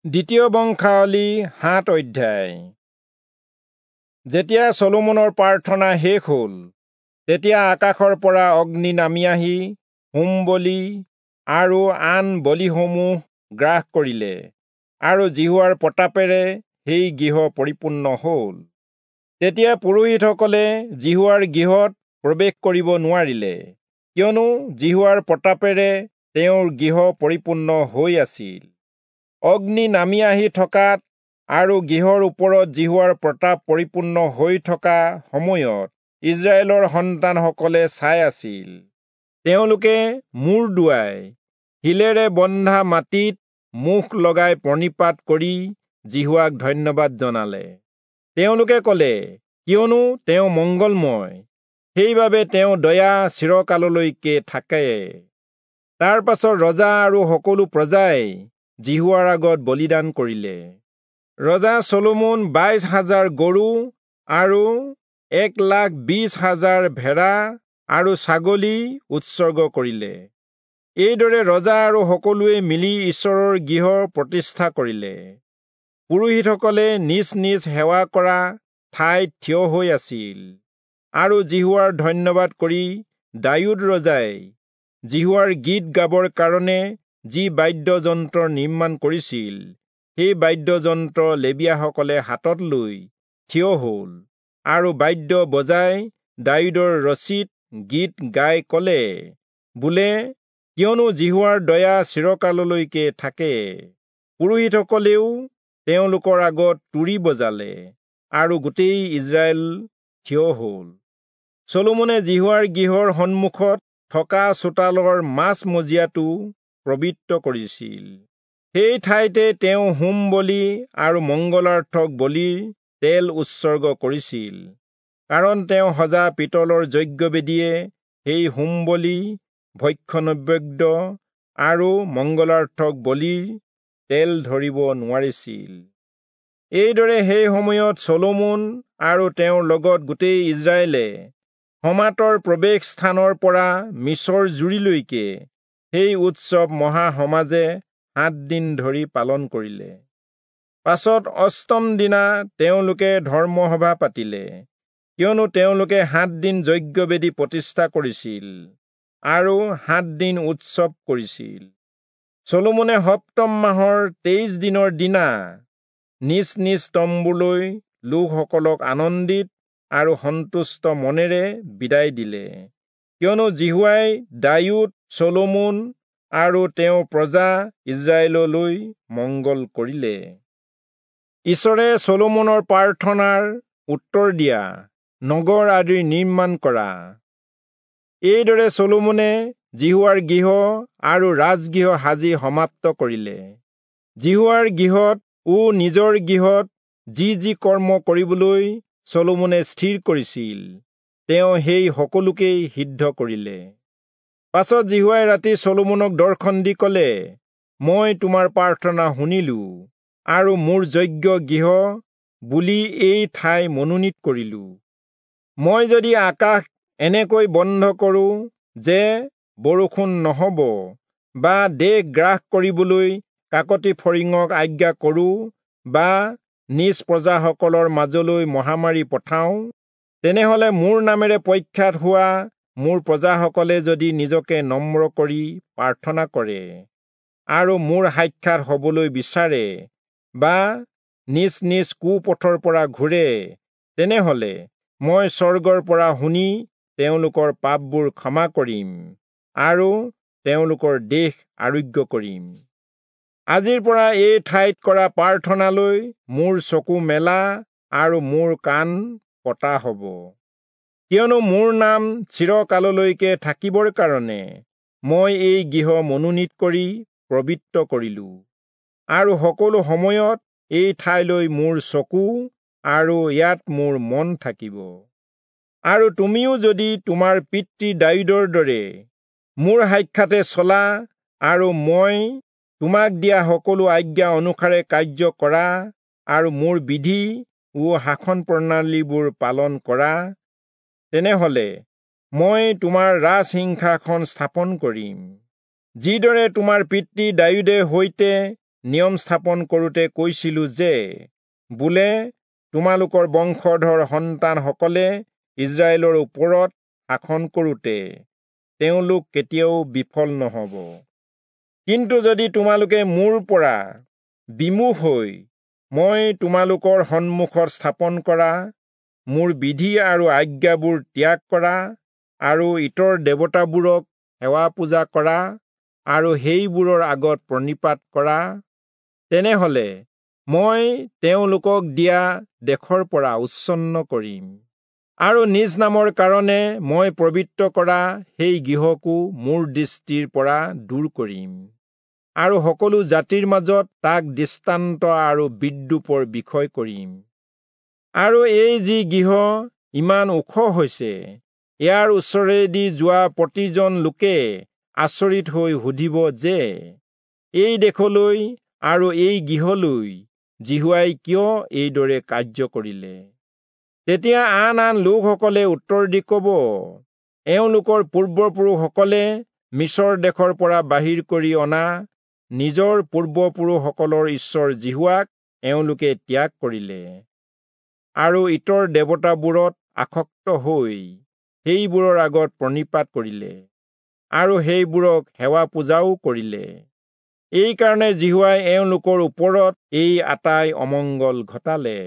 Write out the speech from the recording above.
দ্বিতীয় বংশাৱলী 7 অধ্যায়। যেতিয়া চলোমনৰ প্ৰাৰ্থনা শেষ হ'ল, তেতিয়া আকাশৰ পৰা অগ্নি নামি আহি হোম বলি আৰু আন বলিসমূহ গ্ৰাস কৰিলে, আৰু যিহোৱাৰ প্ৰতাপেৰে সেই গৃহ পৰিপূৰ্ণ হ'ল। তেতিয়া পুৰোহিতসকলে যিহোৱাৰ গৃহত প্ৰৱেশ কৰিব নোৱাৰিলে, কিয়নো যিহোৱাৰ প্ৰতাপেৰে তেওঁৰ গৃহ পৰিপূৰ্ণ হৈ আছিল। অগ্নি নামি আহি থকাত আৰু গৃহৰ ওপৰত যিহোৱাৰ প্ৰতাপ পৰিপূৰ্ণ হৈ থকা সময়ত ইস্ৰায়েলৰ সন্তানসকলে চাই আছিল। তেওঁলোকে মূৰ দোৱাই শিলেৰে বন্ধা মাটিত মুখ লগাই প্ৰণিপাত কৰি যিহোৱাক ধন্যবাদ জনালে। তেওঁলোকে ক'লে, কিয়নো তেওঁ মংগলময়, সেইবাবে তেওঁ দয়া চিৰকাললৈকে থাকে। তাৰ পাছত ৰজা আৰু সকলো প্ৰজাই যিহোৱাৰ আগত বলিদান কৰিলে। ৰজা চলোমন 22,000 গৰু আৰু 1,20,000 ভেড়া আৰু ছাগলী উৎসৰ্গ কৰিলে। এইদৰে ৰজা আৰু সকলোৱে মিলি ঈশ্বৰৰ গৃহ প্ৰতিষ্ঠা কৰিলে। পুৰোহিতসকলে নিজ নিজ সেৱা কৰা ঠাইত থিয় হৈ আছিল আৰু যিহোৱাৰ ধন্যবাদ কৰি দায়ূদ ৰজাই যিহোৱাৰ গীত গাবৰ কাৰণে যি বাদ্যযন্ত্ৰ নিৰ্মাণ কৰিছিল, সেই বাদ্যযন্ত্ৰ লেবীয়াসকলে হাতত লৈ থিয় হ'ল আৰু বাদ্য বজাই দায়ূদৰ ৰচিত গীত গাই ক'লে, বোলে, কিয়নো যিহোৱাৰ দয়া চিৰকাললৈকে থাকে। পুৰোহিতসকলেও তেওঁলোকৰ আগত তুৰী বজালে আৰু গোটেই ইস্ৰায়েল থিয় হ'ল। চলোমনে যিহোৱাৰ গৃহৰ সন্মুখত থকা চোতালৰ মাজমজিয়াটো পবিত্ৰ কৰিছিল। সেই ঠাইতে তেওঁ হোম বলি আৰু মংগলাৰ্থক বলিৰ তেল উৎসৰ্গ কৰিছিল, কাৰণ তেওঁ সজা পিতলৰ যজ্ঞবেদীয়ে সেই হোম বলি, ভক্ষ্য নৈবেদ্য আৰু মংগলাৰ্থক বলিৰ তেল ধৰিব নোৱাৰিছিল। এইদৰে সেই সময়ত চলোমন আৰু তেওঁৰ লগত গোটেই ইস্ৰায়েলে হমাতৰ প্ৰৱেশ স্থানৰ পৰা মিছৰ জুৰিলৈকে সেই উৎসৱ মহাসমাজে 7 দিন ধৰি পালন কৰিলে। পাছত অষ্টম দিনা তেওঁলোকে ধৰ্মসভা পাতিলে, কিয়নো তেওঁলোকে 7 দিন যজ্ঞবেদী প্ৰতিষ্ঠা কৰিছিল আৰু 7 দিন উৎসৱ কৰিছিল। চলোমনে সপ্তম মাহৰ 23 দিনৰ দিনা নিজ নিজ তম্বুলৈ লোকসকলক আনন্দিত আৰু সন্তুষ্ট মনেৰে বিদায় দিলে, কিয়নো যিহোৱাই দায়ূদ, চলোমন আৰু তেওঁৰ প্ৰজা ইস্ৰায়েললৈ মংগল কৰিলে। ঈশ্বৰে চলোমনৰ প্ৰাৰ্থনাৰ উত্তৰ দিয়া নগৰ আদি নিৰ্মাণ কৰা। এইদৰে চলোমনে যিহোৱাৰ গৃহ আৰু ৰাজগৃহ সাজি সমাপ্ত কৰিলে। যিহোৱাৰ গৃহত ও নিজৰ গৃহত যি যি কৰ্ম কৰিবলৈ চলোমনে স্থিৰ কৰিছিল, তেওঁ সেই সকলোকেই সিদ্ধ কৰিলে। পাছত যিহোৱাই ৰাতি চলোমনক দৰ্শন দি ক'লে, মই তোমাৰ প্ৰাৰ্থনা শুনিলো আৰু মোৰ যজ্ঞ গৃহ বুলি এই ঠাই মনোনীত কৰিলো। মই যদি আকাশ এনেকৈ বন্ধ কৰো যে বৰষুণ নহ'ব, বা দেশ গ্ৰাস কৰিবলৈ কাকতি ফৰিঙক আজ্ঞা কৰো, বা নিজ প্ৰজাসকলৰ মাজলৈ মহামাৰী পঠাওঁ, তেনেহলে মোৰ নামেৰে প্ৰখ্যাত হোৱা মোৰ প্ৰজাসকলে যদি নিজকে নম্ৰ কৰি প্ৰাৰ্থনা কৰে আৰু মোৰ সাক্ষাৎ হ'বলৈ বিচাৰে, বা নিজ নিজ কুপথৰ পৰা ঘূৰে, তেনেহলে মই স্বৰ্গৰ পৰা শুনি তেওঁলোকৰ পাপবোৰ ক্ষমা কৰিম আৰু তেওঁলোকৰ দেশ আৰোগ্য কৰিম। আজিৰ পৰা এই ঠাইত কৰা প্ৰাৰ্থনালৈ মোৰ চকু মেলা আৰু মোৰ কাণ পতা হ'ব, কিয়নো মোৰ নাম চিৰকাললৈকে থাকিবৰ কাৰণে মই এই গৃহ মনোনীত কৰি পবিত্ৰ কৰিলো, আৰু সকলো সময়ত এই ঠাইলৈ মোৰ চকু আৰু ইয়াত মোৰ মন থাকিব। আৰু তুমিও যদি তোমাৰ পিতৃ দায়ূদৰ দৰে মোৰ সাক্ষাতে চলা আৰু মই তোমাক দিয়া সকলো আজ্ঞা অনুসাৰে কাৰ্য কৰা আৰু মোৰ বিধি ও শাসন প্ৰণালীবোৰ পালন কৰা, তেনেহলে মই তোমাৰ ৰাজসিংহাসন স্থাপন কৰিম, যিদৰে তোমাৰ পিতৃ দায়ূদে সৈতে নিয়ম স্থাপন কৰোঁতে কৈছিলো যে, বোলে তোমালোকৰ বংশধৰ সন্তানসকলে ইস্ৰায়েলৰ ওপৰত শাসন কৰোঁতে তেওঁলোক কেতিয়াও বিফল নহ'ব। কিন্তু যদি তোমালোকে মোৰ পৰা বিমুখ হৈ মই তোমালোকৰ সন্মুখত স্থাপন কৰা মোৰ বিধি আৰু আজ্ঞাবোৰ ত্যাগ কৰা আৰু ইতৰ দেৱতাবোৰক সেৱা পূজা কৰা আৰু সেইবোৰৰ আগত প্ৰণিপাত কৰা, তেনেহ'লে মই তেওঁলোকক দিয়া দেশৰ পৰা উচ্ছন্ন কৰিম আৰু নিজ নামৰ কাৰণে মই পবিত্ৰ কৰা সেই গৃহকো মোৰ দৃষ্টিৰ পৰা দূৰ কৰিম আৰু সকলো জাতিৰ মাজত তাক দৃষ্টান্ত আৰু বিদ্ৰূপৰ বিষয় কৰিম। আৰু এই যি গৃহ ইমান ওখ হৈছে, ইয়াৰ ওচৰেদি যোৱা প্ৰতিজন লোকে আচৰিত হৈ সুধিব যে, এই দেশলৈ আৰু এই গৃহলৈ যিহোৱাই কিয় এইদৰে কাৰ্য কৰিলে? তেতিয়া আন আন লোকসকলে উত্তৰ দি ক'ব, এওঁলোকৰ পূৰ্বপুৰুষসকলে মিচৰ দেশৰ পৰা বাহিৰ কৰি অনা নিজৰ পূৰ্বপুৰুষসকলৰ ঈশ্বৰ যিহোৱাক এওঁলোকে ত্যাগ কৰিলে আৰু ইতৰ দেৱতাবোৰত আসক্ত হৈ সেইবোৰৰ আগত প্ৰণিপাত কৰিলে আৰু সেইবোৰক সেৱা পূজাও কৰিলে। এইকাৰণে যিহোৱাই এওঁলোকৰ ওপৰত এই আটাই অমংগল ঘটালে।